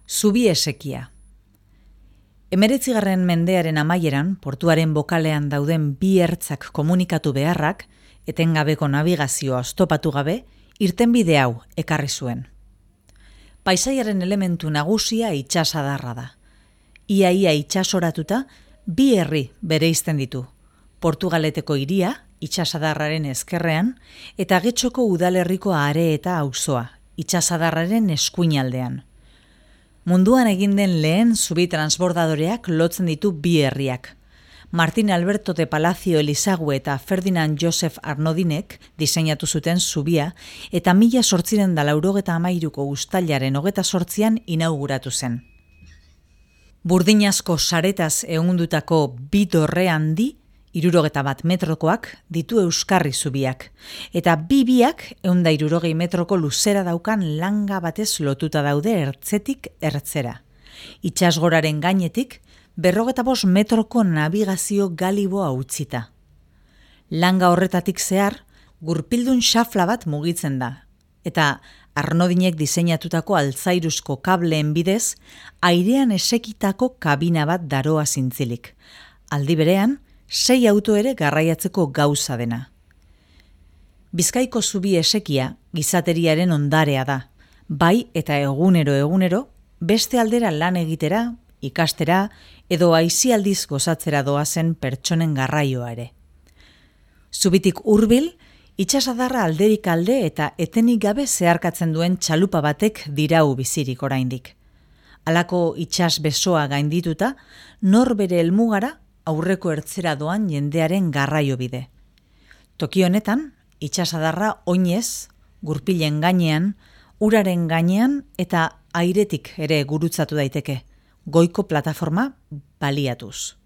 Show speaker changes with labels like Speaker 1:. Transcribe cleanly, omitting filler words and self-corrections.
Speaker 1: Zubi esekia. 19. mendearen amaieran, portuaren bokalean dauden bi ertzak komunikatu beharrak, etengabeko navigazioa oztopatu gabe, irtenbide hau ekarri zuen. Paisaiaren elementu nagusia itsasadarra da. Ia itsasoratuta, bi herri bereizten ditu. Portugaleteko hiria, itsasadarraren ezkerrean, eta Getxoko udalerriko are eta auzoa, itsasadarraren eskuinaldean. Munduan egin den lehen zubi transbordadoreak lotzen ditu bi herriak. Martin Alberto de Palacio Elizague eta Ferdinand Joseph Arnodinek diseinatu zuten zubia eta 1893ko uztailaren 28an inauguratu zen. Burdinazko saretaz ehundutako bi dorre handi, 61 metrokoak ditu euskarri zubiak, eta biak 160 metroko luzera daukan langa batez lotuta daude ertzetik ertzera. Itsasgoraren gainetik 55 metroko navigazio galiboa utzita. Langa horretatik zehar, gurpildun xafla bat mugitzen da, eta Arnodinek diseinatutako altzairuzko kableen bidez, airean esekitako kabina bat daroa zintzilik. Aldi berean, 6 auto ere garraiatzeko gauza dena. Bizkaiko zubi esekia gizateriaren ondarea da, bai eta egunero, beste aldera lan egitera, ikastera edo aisialdiz gozatzera doazen pertsonen garraioa ere. Zubitik hurbil, itsasadarra alderik alde eta etenik gabe zeharkatzen duen txalupa batek dirau bizirik oraindik. Halako itsas besoa gaindituta, nor bere helmugara aurreko ertzera doan jendearen garraio bide. Toki honetan, itsasadarra oinez, gurpilen gainean, uraren gainean eta airetik ere gurutzatu daiteke, goiko plataforma baliatuz.